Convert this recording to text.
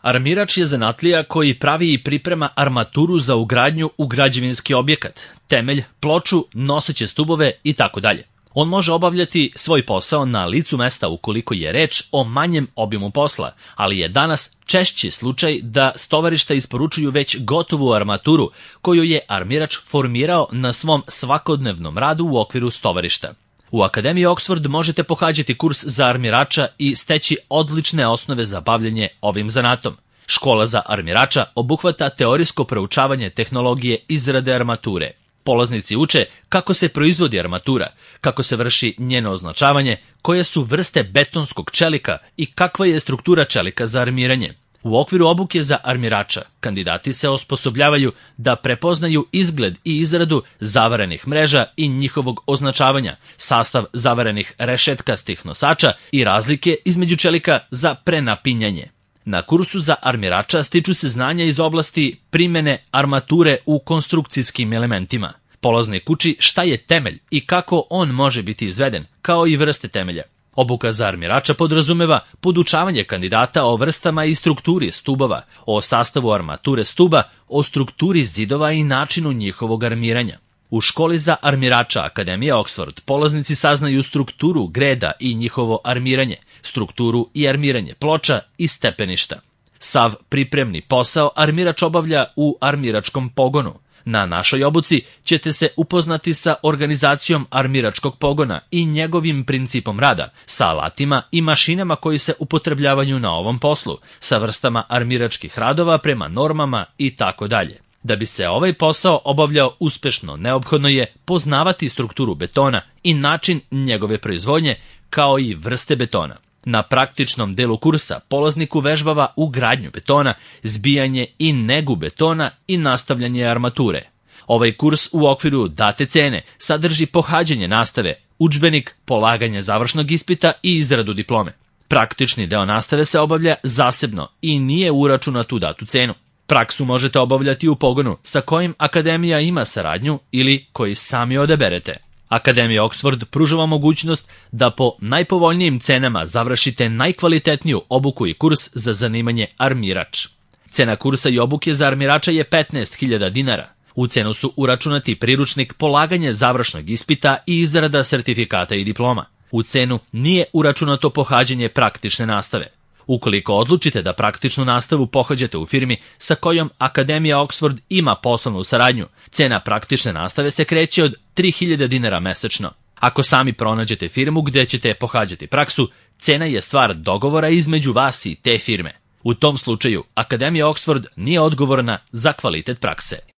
Armirač je zanatlija koji pravi i priprema armaturu za ugradnju u građevinski objekat, temelj, ploču, noseće stubove itd. On može obavljati svoj posao na licu mesta ukoliko je reč o manjem obimu posla, ali je danas češći slučaj da stovarišta isporučuju već gotovu armaturu koju je armirač formirao na svom svakodnevnom radu u okviru stovarišta. U Akademiji Oxford možete pohađati kurs za armirača i steći odlične osnove za bavljenje ovim zanatom. Škola za armirača obuhvata teorijsko proučavanje tehnologije izrade armature. Polaznici uče kako se proizvodi armatura, kako se vrši njeno označavanje, koje su vrste betonskog čelika i kakva je struktura čelika za armiranje. U okviru obuke za armirača, kandidati se osposobljavaju da prepoznaju izgled i izradu zavarenih mreža i njihovog označavanja, sastav zavarenih rešetkastih nosača i razlike između čelika za prenapinjanje. Na kursu za armirača stiču se znanja iz oblasti primene armature u konstrukcijskim elementima. Polaznik uči šta je temelj i kako on može biti izveden, kao i vrste temelja. Obuka za armirača podrazumeva podučavanje kandidata o vrstama i strukturi stubova, o sastavu armature stuba, o strukturi zidova i načinu njihovog armiranja. U školi za armirača Akademije Oxford polaznici saznaju strukturu greda i njihovo armiranje, strukturu i armiranje ploča i stepeništa. Sav pripremni posao armirač obavlja u armiračkom pogonu. Na našoj obuci ćete se upoznati sa organizacijom armiračkog pogona i njegovim principom rada, sa alatima i mašinama koji se upotrebljavaju na ovom poslu, sa vrstama armiračkih radova prema normama itd. Da bi se ovaj posao obavljao uspešno, neophodno je poznavati strukturu betona i način njegove proizvodnje, kao i vrste betona. Na praktičnom delu kursa polaznik uvežbava ugradnju betona, zbijanje i negu betona i nastavljanje armature. Ovaj kurs u okviru date cene sadrži pohađanje nastave, udžbenik, polaganje završnog ispita i izradu diplome. Praktični deo nastave se obavlja zasebno i nije uračunat u datu cenu. Praksu možete obavljati u pogonu sa kojim Akademija ima saradnju ili koji sami odaberete. Akademija Oxford pružava mogućnost da po najpovoljnijim cenama završite najkvalitetniju obuku i kurs za zanimanje armirač. Cena kursa i obuke za armirača je 15.000 dinara. U cenu su uračunati priručnik, polaganje završnog ispita i izrada sertifikata i diploma. U cenu nije uračunato pohađanje praktične nastave. Ukoliko odlučite da praktičnu nastavu pohađate u firmi sa kojom Akademija Oxford ima poslovnu saradnju, cena praktične nastave se kreće od 3.000 dinara mesečno. Ako sami pronađete firmu gde ćete pohađati praksu, cena je stvar dogovora između vas i te firme. U tom slučaju, Akademija Oxford nije odgovorna za kvalitet prakse.